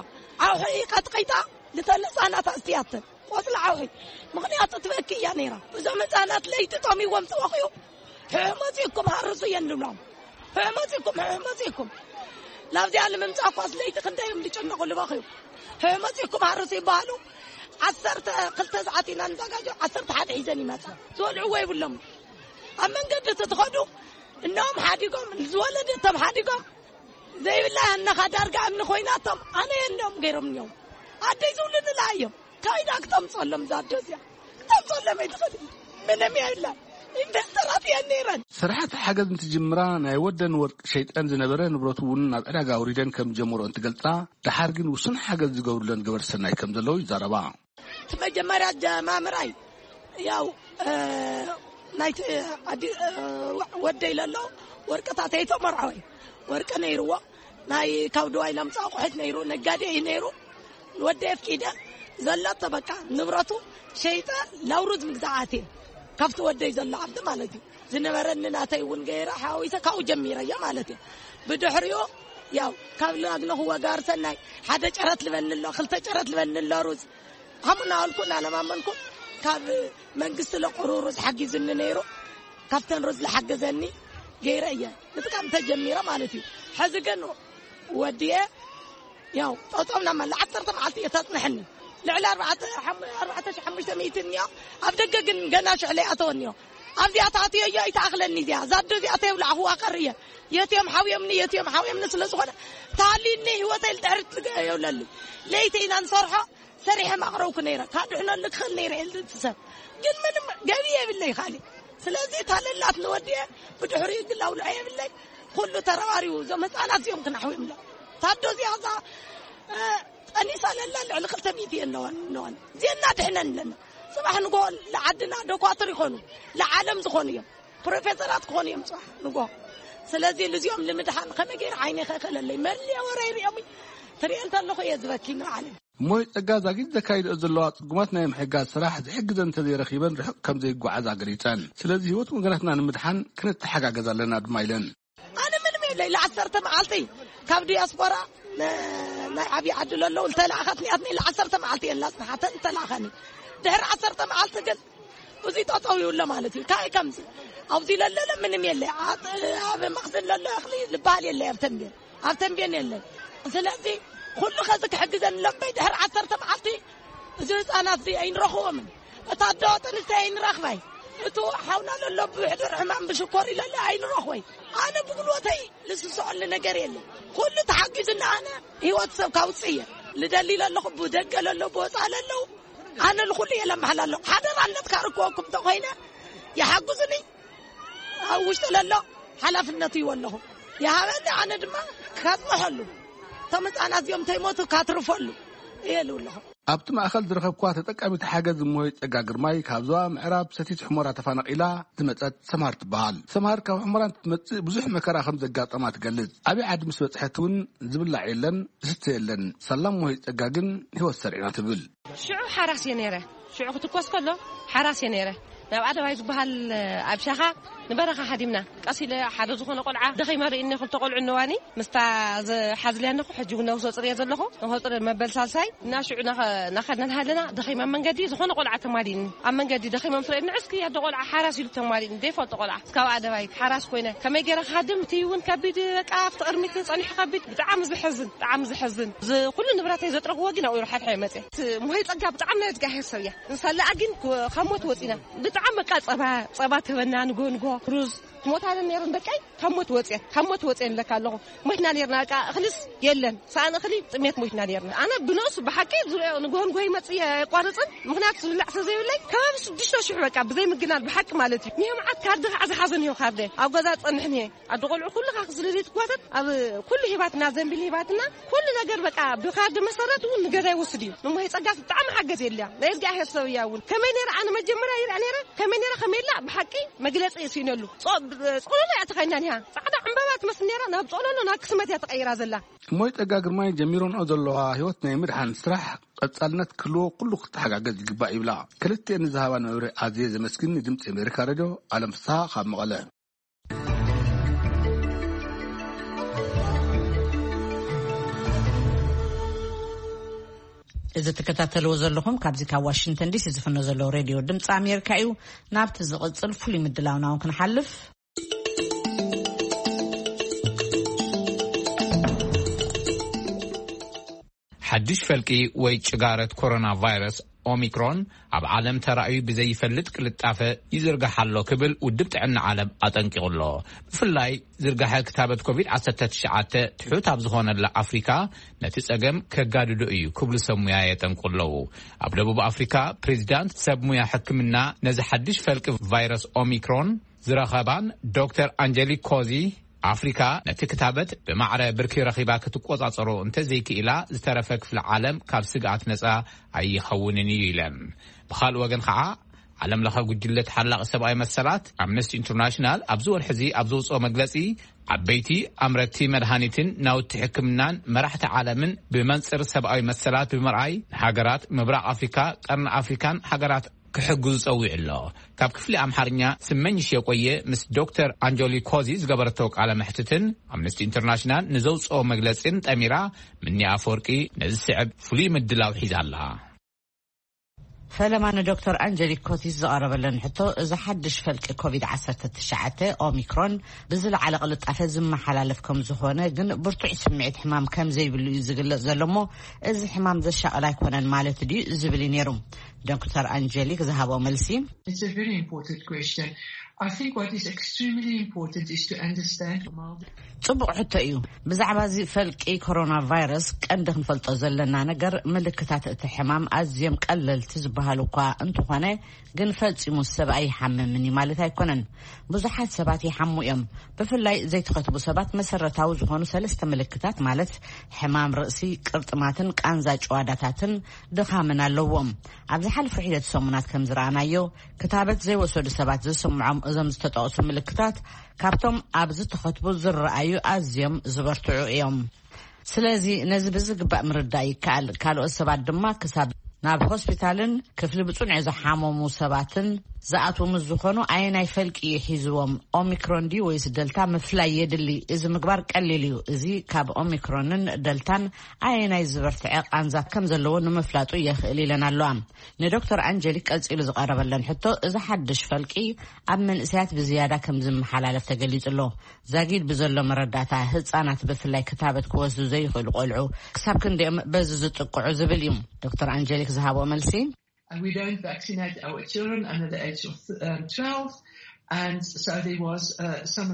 ኣውሑ ቀጥቂጣ ልተን ህፃናት ኣስትያተን ቆፅሊ ዓውሒ። ምኽንያቱ ትበኪ እያ ነይራ። እዞም ህፃናት ለይቲ ጠሚዎም ዝበኽዩ ሕሕ መፂእኩም ሃርሱ እየን ንብሎም። ሕሕ መፂእኩም፣ ሕሕ መፂእኩም። ናብዚኣ ንምምፃእ እኳስ ለይቲ ክንደይ እዮም ዝጨነቑ ዝበኽዩ። ሕሕ መፂእኩም ሃርሱ ይበሃሉ። ዓሰርተ ክልተ ሰዓት ኢና ንዘጋጆ፣ ዓሰርተ ሓደ ሒዘን ይመፃ። ዝበልዕዎ ይብሎም። ኣብ መንገዲ እቲ ትኸዱ እኖም ሓዲጎም፣ ዝወለደቶም ሓዲጎም፣ ዘይብላ ኣነኻ ዳርጋ እምኒ ኮይናቶም ኣነ የንደም ገይሮም እዮም። ኣደይ ዝውልድላ እዮም። ካይዳ ክተምፀሎም እዛ ኣዶ እዚኣ። ክተምፀሎም ኣይትኽእል። ምንም የለን። ኢንቨስተራት እየን ነይረን። ስራሕቲ ሓገዝ እንትጅምራ ናይ ወደን ወርቂ ሸይጠን ዝነበረ ንብረቱ እውን ናብ ዕዳጋ ኣውሪደን ከም ዝጀመሮ እንትገልፃ፣ ደሓር ግን ውሱን ሓገዝ ዝገብሩለን ገበርቲ ሰናይ ከም ዘለዉ ይዛረባ። እቲ መጀመርያ ጀማምራይ ያው፣ እ፣ ናይቲ ኣዲ-፣ እ፣ ወደይ ለሎ ወርቅታት ኣይተመርዓወ። ወርቂ ነይርዎ። ናይ ካብ ድዋይ ለምፃ ኣቑሑት ነይሩ። ነጋዴ እዩ ነይሩ። ወደይ ኣፍቂደ ዘለቶ በቃ ንብረቱ ሸይጠ ላውሩዝ ምግዛኣት እየ። ካብቲ ወደይ ዘሎ ዓብዲ ማለት እዩ። ዝነበረኒ ናተይ እውን ገይረ ሓዊሰ ካብኡ ጀሚረ እየ ማለት እዩ። ብድሕሪኡ ያው ካብ ላግነኹ ወጋር ሰናይ ሓደ ጨረት ልበኒ ኣሎ፣ ክልተ ጨረት ልበኒ ኣሎ ሩዝ። ከምኡ እናበልኩ እናለማመንኩ ካብ መንግስቲ ለቁሩ ሩዝ ሓጊዙኒ ነይሩ። ካብተን ሩዝ ዝሓገዘኒ ገይረ እየ ምጥቃም ተጀሚረ ማለት እዩ። ሕዚ ግን ወዲየ ያው ጠጠው ናብ መላ ዓሰርተ መዓልቲ እየ ተጽንሐኒ። ልዕሊ ኣርባዕተ፣ ሓሙ-፣ ኣርባዕተ ሺሕ ሓሙሽተ ሚእቲ እኒኦ። ኣብ ደገ ግን ገና ሽሕ ለይኣተወ እኒኦ። ኣብዚኣ ተኣትዮ እዮ ይተኣኽለኒ እዚኣ። ዛዶ እዚኣ ተየብላዕኹዋ ቀር እየ። የትዮም ሓውዮምኒ፣ የትዮም ሓውዮምኒ ስለ ዝኾነ ተሃልዩኒ ህይወተይ ልድሕሪት ትገ-፣ የብለሉ። ለይቲ ኢና ንሰርሖ፣ ሰሪሐ ማቕረብኩ ነይረ። ካብ ድሕነሉ ክኽእል ነይረ ኢሉ እቲ ሰብ። ግን ምንም ገቢ የብለይ ካልእ። ስለዚ እታ ለላት ንወዲየ ብድሕሪኡ ግን ኣውልዖ የብለይ። ኩሉ ተረባሪቡ እዞም ህፃናት እዚኦም ክናሕውዮም ኣሎ። ታዶ እዚኣ እዛ፣ እ፣ ጠኒሳ ለላ ልዕሊ ክልተ ሚእቲ ኣለዋን ኣለዋን። እዚአና ድሕነን ኣለና። ጽባሕ ንግሆ ለዓድና ዶኳትር ይኾኑ፣ ለዓለም ዝኾኑ እዮም። ፕሮፌሰራት ክኾኑ እዮም ጽባሕ ንግሆ። ስለዚ ልዚኦም ንምድሓን ከመይ ገይረ ዓይነ ከእክለለይ? መሊአ ወረ ይሪኦም ትሪኦ እንተለኹ እየ ዝበኪ ንባዕለይ። እሞይ ጸጋ ዛጊት ዘካይድኦ ዘለዋ ጽጉማት ናይ ምሕጋዝ ስራሕ ዝሕግዘን እንተዘይረኺበን ርሑቕ ከም ዘይጓዓዛ ገሊጸን። ስለዚ ህይወት ወገናትና ንምድሓን ክንተሓጋገዝ ኣለና ድማ ኢለን። ኣነ ምንም የለይ። ለዓሰርተ መዓልቲ ካብ ዲያስፖራ ነ-፣ ናይ ዓብዪ ዓዲ ለለዉ ዝተላእኸት ኒኣትኒ ለዓሰርተ መዓልቲ እየን ላጽንሓተን ዝተላእኸኒ። ድሕሪ ዓሰርተ መዓልቲ ግን እዚ ጠጠው ይብሎ ማለት እዩ። ካይ ከምዚ ኣብዚ ለለለ ምንም የለ። ኣብ፣ ኣብ መኽዝን ለሎ እኽሊ ዝበሃል የለ ኣብ ተንቤን። ኣብ ተንቤን የለን። ስለዚ ኩሉ ከዚ ክሕግዘን ለበይ ድሕሪ ዓሰርተ መዓልቲ እዚ ህፃናት እዚ ኣይንረኽቦምን። እታ ኣዶ ጥንስተይ ኣይንረኽባይ። እቱ ሓውና ለሎ ብሕዱር ሕማም ብሽኮር ይለለ ኣይንረኽቦይ። ኣነ ብጉልበተይ ልስስዐሉ ነገር የለን። ኩሉ ተሓጊዙና ኣነ ህይወት ሰብ ካውፅእ እየ። ልደሊ ለለኹ ብደገ ለሎ ብወፃ ለለው ኣነ ልኹሉ እየ ለመሓላ ኣለኹ። ሓደራነት ካርክወኩም ተኾይነ ይሓግዙኒ። ኣብ ውሽጢ ለሎ ሓላፍነቱ ይወለኹ። ይሃበኒ ኣነ ድማ ካፅንሐሉ። እቶም ህፃናት እዚኦም ተይሞቱ ካትርፈሉ እየ ልውለኹ። ኣብቲ ማእኸል ዝረኸብኳ ተጠቃሚት ሓገዝ እሞይ ጸጋ ግርማይ ካብ ዞባ ምዕራብ ሰቲት ሑመራ ተፈናቒላ ዝመጸት ሰምሃር ትበሃል። ሰምሃር ካብ ሑመራ እንትትመጽእ ብዙሕ መከራ ከም ዘጋጠማ ትገልጽ። ዓብዪ ዓዲ ምስ በጽሐት እውን ዝብላዕ የለን፣ ዝስተ የለን። ሳላ እሞይ ጸጋ ግን ህይወት ሰሪዕና ትብል። ሽዑ ሓራስ እየ ነይረ። ሽዑ ክትኮስ ከሎ ሓራስ እየ ነይረ። ናብ ኣደባይ ዝበሃል ኣብ ሻኻ ንበረኻ ሓዲምና ቀስ ኢለ ሓደ ዝኾነ ቆልዓ ደኺመ ርእኒ፣ ክልተ ቆልዑ እነዋኒ ምስታ ዝሓዝልያ ኣለኹ። ሕጂ እውን ነብሶ ጽርየ ዘለኹ፣ ነብሶ ጽርየ መበል ሳልሳይ እና ሽዑ ናኸ-፣ ናኸድና እናሃለና ደኺመ ኣብ መንገዲ ዝኾነ ቆልዓ ተማሊእኒ። ኣብ መንገዲ ደኺሞም ስለ ንዕስኪ ያደ ቆልዓ ሓራስ ኢሉ ተማሊእኒ። ዘይፈልጦ ቆልዓ እስካብ ኣደባይ ሓራስ ኮይነ ከመይ ገይረ ክሃድም እቲ እውን ከቢድ በቃ ኣብቲ ቅድሚት ጸኒሑ ከቢድ ብጣዕሚ ዝሕዝን፣ ብጣዕሚ ዝሕዝን። እዚ ኩሉ ንብረተይ ዘጥረኽዎ ግን ኣብኡ ሓድሓ ይመጽእ። እቲ ሙሄ ጸጋ ብጣዕሚ ናይ እግዚኣብሔር ሰብ እያ። ንሳለኣ ግን ካብ ሞት ወጺና። ብጣዕሚ በቃ ጸባ፣ ጸባ ትህበና ንጎ ንጎ ሩዝ። ትሞታለን ነይረን ደቀይ ካብ ሞት ወጽየን፣ ካብ ሞት ወጽየን ለካ ኣለኹ። ሞትና ነይርና በቃ እኽልስ የለን። ሰኣን እኽሊ ጥሜት ሞትና ነይርና። ኣነ ብነሱ ብሓቂ ዝሪኦ ንጎ ንጎ ይመጽእ የቋርጽን። ምኽንያቱ ዝብላዕ ስለ ዘይብለይ ከባቢ ሽዱሽተ ሽሕ በቃ ብዘይ ምግናል ብሓቂ ማለት እዩ። ንሄ መዓት ካርዲ ከዓ ዝሓዘ ንሄ ካርደ ኣብ ገዛ ጸንሕ ንሄ ኣደ ቆልዑ ኩሉ ካክ ስለ ዘይትጓተት ኣብ ኩሉ ሂባትና ዘንቢል ሂባትና ኩሉ ነገር በቃ ብካርዲ መሰረት እውን ንገዛ ይወስድ እዩ። ንሞሄ ጸጋፍ ብጣዕሚ ሓገዝ የለያ። ናይ እግዚኣብሔር ሰብ እያ እውን። ከመይ ነይረ ኣነ መጀመርያ ይርኣ ነይረ። ከመይ ነይረ ከመይ ኢላ ብሓቂ መግለጺ ስኢነሉ። ጾ-፣ ብ-፣ ጾሎሎ እያ ተኸይና ኒሃ። ጻዕዳ ዕምባባ ትመስል ነይራ ናብ ጾሎሎ ናብ ክስመት እያ ተቐይራ ዘላ። እሞይ ጸጋ ግርማይ ጀሚሮንኦ ዘለዋ ህይወት ናይ ምድሓን ስራሕ ቀጻልነት ክህልዎ ኩሉ ክተሓጋገዝ ይግባእ ይብላ። ክልቲኤን ንዝሃባን መብርሂ ኣዝየ ዘመስግን ንድምጺ ኣሜሪካ ሬድዮ። ዓለም ፍስሃ ካብ መቐለ። እዚ ትከታተልዎ ዘለኹም ካብዚ ካብ ዋሽንግተን ዲሲ ዝፍኖ ዘሎ ሬድዮ ድምፂ ኣሜሪካ እዩ። ናብቲ ዝቕፅል ፍሉይ ምድላውና እውን ክንሓልፍ። ሓድሽ ፈልቂ ወይ ጭጋረት ኮሮና ቫይረስ ኦሚክሮን ኣብ ዓለም ተራእዩ ብዘይፈልጥ ቅልጣፈ ይዝርጋሕ ኣሎ ክብል ውድብ ጥዕና ዓለም ኣጠንቂቑ ኣሎ። ብፍላይ ዝርጋሐ ክታበት ኮቪድ ዓሰርተ ትሽዓተ ትሑት ኣብ ዝኾነላ ኣፍሪካ ነቲ ጸገም ከጋድዶ እዩ ክብሉ ሰብ ሙያ የጠንቁ ኣለዉ። ኣብ ደቡብ ኣፍሪካ ፕሬዚዳንት ሰብ ሙያ ሕክምና ነዚ ሓድሽ ፈልቂ ቫይረስ ኦሚክሮን ዝረኸባን ዶክተር ኣንጀሊክ ኮዚ ኣፍሪካ ነቲ ክታበት ብማዕረ ብርኪ ረኺባ ክትቆጻጸሮ እንተዘይክኢላ ዝተረፈ ክፍሊ ዓለም ካብ ስግኣት ነጻ ኣይኸውንን እዩ ኢለን። ብኻልእ ወገን ከዓ ዓለም ለኸ ጉጅለ ተሓላቒ ሰብኣዊ መሰላት ኣምነስቲ ኢንተርናሽናል ኣብዚ ወርሒ እዚ ኣብ ዘውፅኦ መግለፂ ዓበይቲ ኣምረቲ መድሃኒትን ናውቲ ሕክምናን መራሕቲ ዓለምን ብመንፅር ሰብኣዊ መሰላት ብምርኣይ ንሃገራት ምብራቕ ኣፍሪካ፣ ቀርኒ ኣፍሪካን ሃገራት ክሕግዙ ጸዊዑ ኣሎ። ካብ ክፍሊ ኣምሓርኛ ስመኝሽ የቆየ ምስ ዶክተር ኣንጆሊ ኮዚ ዝገበረቶ ቃለ መሕትትን ኣምነስቲ ኢንተርናሽናል ንዘውፅኦ መግለጺን ጠሚራ ምኒ ኣፈወርቂ ነዚ ስዕብ ፍሉይ ምድላው ሒዛ ኣላ። ፈለማ ንዶክተር ኣንጀሊክ ኮቲስ ዝቐረበለን ሕቶ፣ እዚ ሓድሽ ፈልቂ ኮቪድ ዓሰርተ ትሽዓተ ኦሚክሮን ብዝለዓለ ቅልጣፈ ዝመሓላለፍ ከም ዝኾነ፣ ግን ብርቱዕ ስምዒት ሕማም ከም ዘይብሉ እዩ ዝግለጽ ዘሎ እሞ፣ እዚ ሕማም ዘሻቕል ኣይኮነን ማለት ድዩ ዝብል እዩ ነይሩ። ዶክተር ኣንጀሊክ ዝሃቦ መልሲ። It's a very important question. I think what is extremely important is to understand the mild ጽቡቕ ሕቶ እዩ። ብዛዕባ እዚ ፈልቂ ኮሮና ቫይረስ ቀንዲ ክንፈልጦ ዘለና ነገር፣ ምልክታት እቲ ሕማም ኣዝዮም ቀለልቲ ዝበሃሉ እኳ እንተኾነ፣ ግን ፈጺሙ ሰብ ኣይሓምምን እዩ ማለት ኣይኮነን። ብዙሓት ሰባት ይሓሙ እዮም። ብፍላይ ዘይተኸትቡ ሰባት መሰረታዊ ዝኾኑ ሰለስተ ምልክታት ማለት ሕማም ርእሲ፣ ቅርጥማትን ቃንዛ ጭዋዳታትን ድኻምን ኣለዎም። ኣብ ዝሓለፉ ሒደት ሰሙናት ከም ዝረኣናዮ፣ ክታበት ዘይወሰዱ ሰባት ዝስምዖም እዞም ዝተጠቕሱ ምልክታት ካብቶም ኣብ ዝተኸትቡ ዝረኣዩ ኣዝዮም ዝበርትዑ እዮም። ስለዚ ነዚ ብዝግባእ ምርዳእ ይከኣል። ካልኦት ሰባት ድማ ክሳብ ናብ ሆስፒታልን ክፍሊ ብጽኑዕ ዝሓመሙ ሰባትን ዝኣትዉ ምስ ዝኾኑ ኣየናይ ፈልቂ እዩ ሒዝዎም? ኦሚክሮን ድዩ ወይስ ደልታ ምፍላይ የድሊ። እዚ ምግባር ቀሊል እዩ። እዚ ካብ ኦሚክሮንን ደልታን ኣየናይ ዝበርትዐ ቃንዛ ከም ዘለዎ ንምፍላጡ የኽእል ኢለን ኣለዋ። ንዶክተር ኣንጀሊክ ቀጺሉ ዝቐረበለን ሕቶ፣ እዚ ሓድሽ ፈልቂ ኣብ መንእሰያት ብዝያዳ ከም ዝመሓላለፍ ተገሊጹ ኣሎ። ዛጊድ ብዘሎ መረዳእታ፣ ህጻናት ብፍላይ ክታበት ክወስዱ ዘይኽእሉ ቆልዑ ክሳብ ክንደዮም በዚ ዝጥቅዑ ዝብል እዩ ዶክተር ኣንጀሊክ ዝሃቦ መልሲ። And we don't vaccinate our children under the age of um, twelve, and so there was uh, some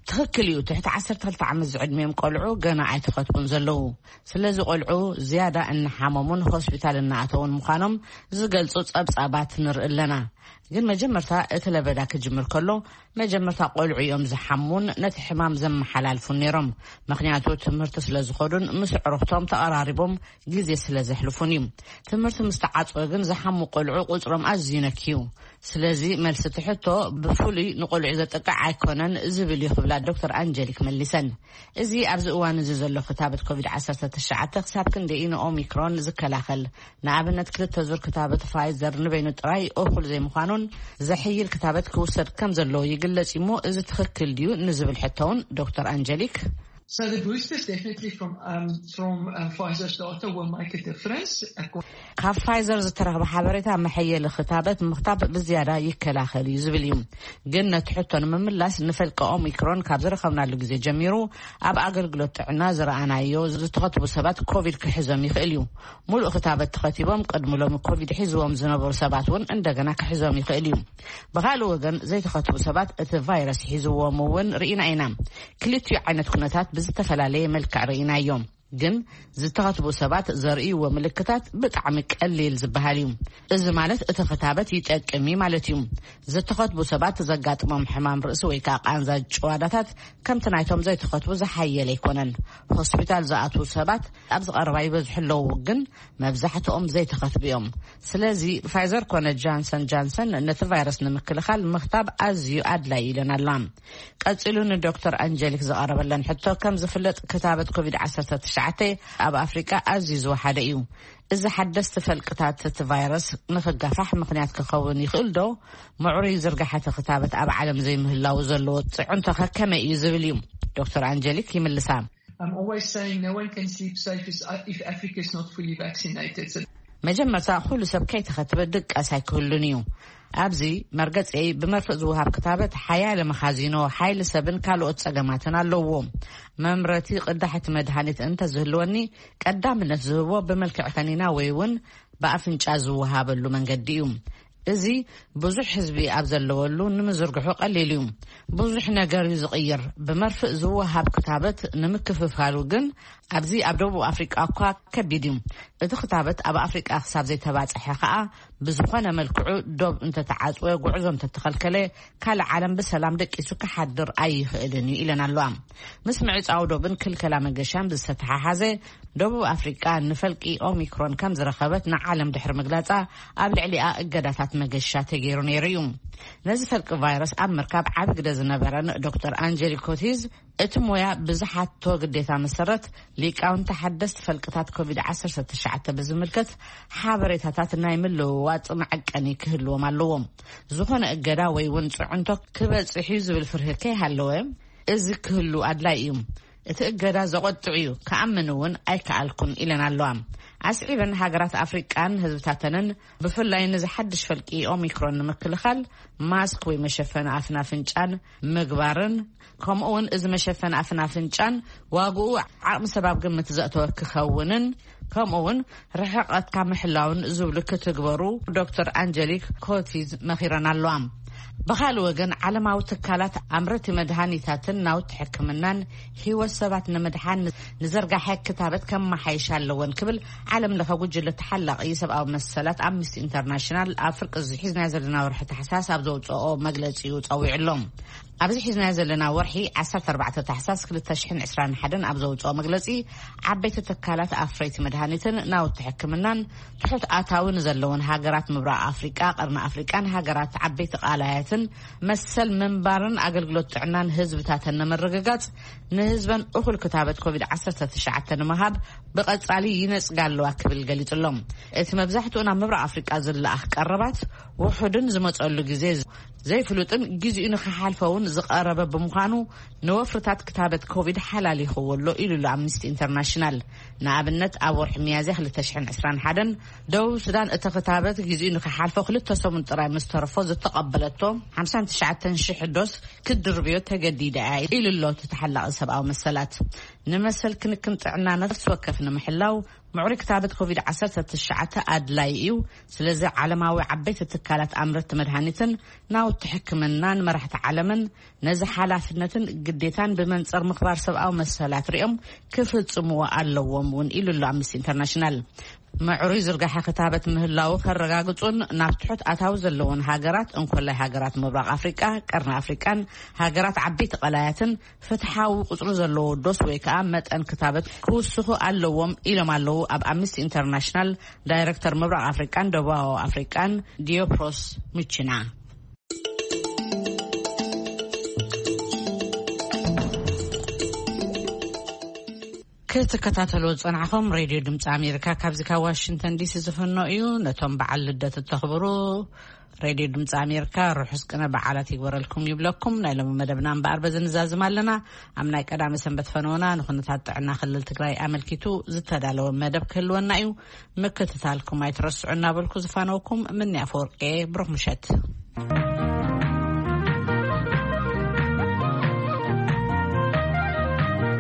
ትኽክል እዩ። ትሕቲ ዓሰርተ ክልተ ዓመት ዝዕድሚኦም ቆልዑ ገና ኣይተኸትቡን ዘለዉ። ስለዚ ቆልዑ ዝያዳ እናሓመሙን ሆስፒታል እናኣተውን ምዃኖም ዝገልጹ ጸብጻባት ንርኢ ኣለና። ግን መጀመርታ እቲ ለበዳ ክጅምር ከሎ፣ መጀመርታ ቆልዑ እዮም ዝሓሙን ነቲ ሕማም ዘመሓላልፉን ነይሮም። ምኽንያቱ ትምህርቲ ስለ ዝኸዱን ምስ ኣዕሩኽቶም ተቐራሪቦም ግዜ ስለ ዘሕልፉን እዩ። ትምህርቲ ምስ ተዓጽወ ግን ዝሓሙ ቆልዑ ቁጽሮም ኣዝዩ ነክዩ። ስለዚ መልሲ እቲ ሕቶ ብፍሉይ ንቆልዑ ዘጥቅዕ ኣይኮነን ዝብል እዩ ክብላ ዶክተር ኣንጀሊክ መሊሰን። እዚ ኣብዚ እዋን እዚ ዘሎ ክታበት ኮቪድ ዓሰርተ ትሽዓተ ክሳብ ክንደይ ንኦሚክሮን ዝከላኸል? ንኣብነት ክልተ ዙር ክታበት ፋይዘር ንበይኑ ጥራይ እኹል ዘይምዃኑን ዘሕይል ክታበት ክውሰድ ከም ዘለዎ ይግለጽ። ይግለጽ እሞ፣ እዚ ትኽክል ድዩ ንዝብል ሕቶ እውን ዶክተር ኣንጀሊክ፣ So the boosters definitely from, um, from, um, Pfizer's data will make a difference. Ac- ካብ ፋይዘር ዝተረኽበ ሓበሬታ፣ መሐየሊ ክታበት ምኽታብ ብዝያዳ ይከላኸል እዩ ዝብል እዩ። ግን ነቲ ሕቶ ንምምላስ፣ ንፈልቂ ኦሚክሮን ካብ ዝረኸብናሉ ግዜ ጀሚሩ ኣብ ኣገልግሎት ጥዕና ዝረኣናዮ፣ ዝተኸትቡ ሰባት ኮቪድ ክሕዞም ይኽእል እዩ። ሙሉእ ክታበት ተኸቲቦም ቅድሚ ሎሚ ኮቪድ ሒዝዎም ዝነበሩ ሰባት እውን እንደገና ክሕዞም ይኽእል እዩ። ብኻልእ ወገን፣ ዘይተኸትቡ ሰባት እቲ ቫይረስ ሒዝዎም እውን ርኢና ኢና። ክልቲኡ ዓይነት ኩነታት ብዝተፈላለየ መልክዕ ርኢናዮም። ግን ዝተኸትቡ ሰባት ዘርእይዎ ምልክታት ብጣዕሚ ቀሊል ዝበሃል እዩ። እዚ ማለት እቲ ክታበት ይጠቅም እዩ ማለት እዩ። ዝተኸትቡ ሰባት ዘጋጥሞም ሕማም ርእሲ ወይ ከዓ ቃንዛ ጭዋዳታት ከምቲ ናይቶም ዘይተኸትቡ ዝሓየለ ኣይኮነን። ሆስፒታል ዝኣትዉ ሰባት ኣብዚ ቀረባ ይበዝሑ ኣለዉ፣ ግን መብዛሕትኦም ዘይተኸትቡ እዮም። ስለዚ ፋይዘር ኮነ ጃንሰን ጃንሰን ነቲ ቫይረስ ንምክልኻል ምኽታብ ኣዝዩ ኣድላዪ ኢለን ኣለዋ። ቀጺሉ ንዶክተር ኣንጀሊክ ዝቐረበለን ሕቶ፣ ከም ዝፍለጥ ክታበት ኮቪድ ዓሰርተ ትሽዓተ ኣብ ኣፍሪቃ ኣዝዩ ዝወሓደ እዩ። እዚ ሓደስቲ ፈልቅታት እቲ ቫይረስ ንኽጋፋሕ ምኽንያት ክኸውን ይኽእል ዶ? ምዕሩይ ዝርጋሐ እቲ ክታበት ኣብ ዓለም ዘይምህላው ዘለዎ ጽዕንቶ ከ ከመይ እዩ ዝብል እዩ። ዶክተር ኣንጀሊክ ይምልሳ። I'm always saying no one can sleep safe is, uh, if Africa is not fully vaccinated. So መጀመርታ፣ ኩሉ ሰብ ከይተኸትበ ድቃስ ኣይክህሉን እዩ። ኣብዚ መርገጸይ፣ ብመርፍእ ዝወሃብ ክታበት ሓያለ መኻዚኖ፣ ሓይሊ ሰብን ካልኦት ጸገማትን ኣለዎ። መምረቲ ቅዳሕ እቲ መድሃኒት እንተዝህልወኒ፣ ቀዳምነት ዝህቦ ብመልክዕ ከኒና ወይ እውን ብኣፍንጫ ዝወሃበሉ መንገዲ እዩ። እዚ ብዙሕ ህዝቢ ኣብ ዘለወሉ ንምዝርግሑ ቀሊል እዩ። ብዙሕ ነገር እዩ ዝቕይር። ብመርፍእ ዝወሃብ ክታበት ንምክፍፋሉ ግን ኣብዚ ኣብ ደቡብ ኣፍሪቃ እኳ ከቢድ እዩ። እቲ ክታበት ኣብ ኣፍሪቃ ክሳብ ዘይተባጽሐ ከኣ፣ ብዝኾነ መልክዑ ዶብ እንተተዓጽወ፣ ጉዕዞ እንተተኸልከለ፣ ካልእ ዓለም ብሰላም ደቂሱ ክሓድር ኣይኽእልን እዩ ኢለን ኣለዋ። ምስ ምዕጻው ዶብን ክልከላ መገሻን ብዝተተሓሓዘ፣ ደቡብ ኣፍሪቃ ንፈልቂ ኦሚክሮን ከም ዝረኸበት ንዓለም ድሕሪ ምግላጻ፣ ኣብ ልዕሊኣ እገዳታት መገሻ ተገይሩ ነይሩ እዩ። ነዚ ፈልቂ ቫይረስ ኣብ ምርካብ ዓቢ ግደ ዝነበረን ዶክተር ኣንጀሊ ኮቲዝ፣ እቲ ሞያ ብዝሓቶ ግዴታ መሰረት፣ ሊቃውንቲ ሓደስቲ ፈልቅታት ኮቪድ ዓሰርተ ትሽዓተ ብዝምልከት ሓበሬታታት ናይ ምልውዋጥ መዐቀኒ ክህልዎም ኣለዎም። ዝኾነ እገዳ ወይ እውን ጽዕንቶ ክበጽሕ እዩ ዝብል ፍርሂ ከይሃለወ፣ እዚ ክህሉ ኣድላይ እዩ። እቲ እገዳ ዘቖጥዕ እዩ፣ ክኣምን እውን ኣይከኣልኩን ኢለን ኣለዋ። ኣስዒበን፣ ሃገራት ኣፍሪቃን ህዝብታተንን ብፍላይ ነዚ ሓድሽ ፈልቂ ኦሚክሮን ንምክልኻል ማስክ ወይ መሸፈኒ ኣፍን ኣፍንጫን ምግባርን፣ ከምኡ እውን እዚ መሸፈኒ ኣፍን ኣፍንጫን ዋግኡ ዓቕሚ ሰብ ኣብ ግምት ዘእተወ ክኸውንን፣ ከምኡ እውን ርሕቐትካ ምሕላውን ዝብሉ ክትግበሩ ዶክተር ኣንጀሊክ ኮቲዝ መኺረን ኣለዋ። ብኻልእ ወገን፣ ዓለማዊ ትካላት ኣምረቲ መድሃኒታትን ናውቲ ሕክምናን ህይወት ሰባት ንምድሓን ንዘርጋሐ ክታበት ከመሓይሽ ኣለወን ክብል ዓለም ለኸ ጉጅለ ተሓላቒ ሰብኣዊ መሰላት ኣምነስቲ ኢንተርናሽናል ኣብ ፍርቂ እዚ ሒዝናዮ ዘለና ወርሒ ታሕሳስ ኣብ ዘውፅኦ መግለፂኡ ፀዊዑ ኣሎ። ኣብዚ ሒዝናዮ ዘለና ወርሒ ዓሰርተ ኣርባዕተ ታሕሳስ ክልተ ሽሕን ዕስራን ሓደን ኣብ ዘውፅኦ መግለፂ፣ ዓበይቲ ትካላት ኣፍረይቲ መድሃኒትን ናውቲ ሕክምናን ትሑት ኣታዊ ንዘለወን ሃገራት ምብራቕ ኣፍሪቃ፣ ቀርኒ ኣፍሪቃን ሃገራት ዓበይቲ ቃላያትን መሰል ምንባርን ኣገልግሎት ጥዕናን ህዝብታተን ንምርግጋጽ፣ ንህዝበን እኹል ክታበት ኮቪድ ዓሰርተ ትሽዓተ ንምሃብ ብቐጻሊ ይነጽጋ ኣለዋ ክብል ገሊጹ ኣሎ። እቲ መብዛሕትኡ ናብ ምብራቕ ኣፍሪቃ ዝለኣኽ ቀረባት ውሑድን ዝመጸሉ ግዜ ዘይፍሉጥን ግዜኡ ንኽሓልፈ እውን ዝቐረበ ብምዃኑ፣ ንወፍርታት ክታበት ኮቪድ ሓላሊኽዎ ኣሎ ኢሉ ኣሎ ኣምነስቲ ኢንተርናሽናል። ንኣብነት፣ ኣብ ወርሒ ሚያዝያ ክልተ ሽሕን ዕስራን ሓደን ደቡብ ሱዳን እቲ ክታበት ግዜኡ ንኽሓልፎ ክልተ ሰሙን ጥራይ ምስ ተረፎ ዝተቐበለቶ ሓምሳን ትሽዓተን ሽሕ ዶስ ክድርብዮ ተገዲዳ እያ ኢሉ ኣሎ እቲ ተሓላቒ ሰብኣዊ መሰላት። ንመሰል ክንክን ጥዕና ነፍሲ ወከፍ ንምሕላው ምዕሩይ ክታበት ኮቪድ ዓሰርተ ትሽዓተ ኣድላይ እዩ። ስለዚ ዓለማዊ ዓበይቲ ትካላት ኣምረቲ መድሃኒትን ናውቲ ሕክምናን መራሕቲ ዓለምን ነዚ ሓላፍነትን ግዴታን ብመንጽር ምኽባር ሰብኣዊ መሰላት ሪኦም ክፍጽምዎ ኣለዎም እውን ኢሉ ኣሎ ኣምነስቲ ኢንተርናሽናል። ምዕሩይ ዝርጋሐ ክታበት ምህላው ከረጋግጹን ናብ ትሑት ኣታዊ ዘለዎን ሃገራት፣ እንኮላይ ሃገራት ምብራቕ ኣፍሪቃ፣ ቀርኒ ኣፍሪቃን ሃገራት ዓበይቲ ቀላያትን ፍትሓዊ ቁጽሪ ዘለዎ ዶስ ወይ ከዓ መጠን ክታበት ክውስኹ ኣለዎም ኢሎም ኣለዉ ኣብ ኣምነስቲ ኢንተርናሽናል ዳይሬክተር ምብራቕ ኣፍሪቃን ደቡባዊ ኣፍሪቃን ዲዮፕሮስ ሙቺና። ክትከታተልዎ ዝጸናሕኹም ሬድዮ ድምፂ ኣሜሪካ ካብዚ ካብ ዋሽንግተን ዲሲ ዝፍኖ እዩ። ነቶም በዓል ልደት እተኽብሩ ሬድዮ ድምፂ ኣሜሪካ ርሑስ ቅነ በዓላት ይግበረልኩም ይብለኩም። ናይ ሎሚ መደብና እምበኣር በዚ ንዛዝም ኣለና። ኣብ ናይ ቀዳመ ሰንበት ፈነወና ንኩነታት ጥዕና ክልል ትግራይ ኣመልኪቱ ዝተዳለወ መደብ ክህልወና እዩ። ምክትታልኩም ኣይትረስዑ እናበልኩ ዝፋነውኩም ምንያ ፈወርቄ፣ ብሩኽ ምሸት።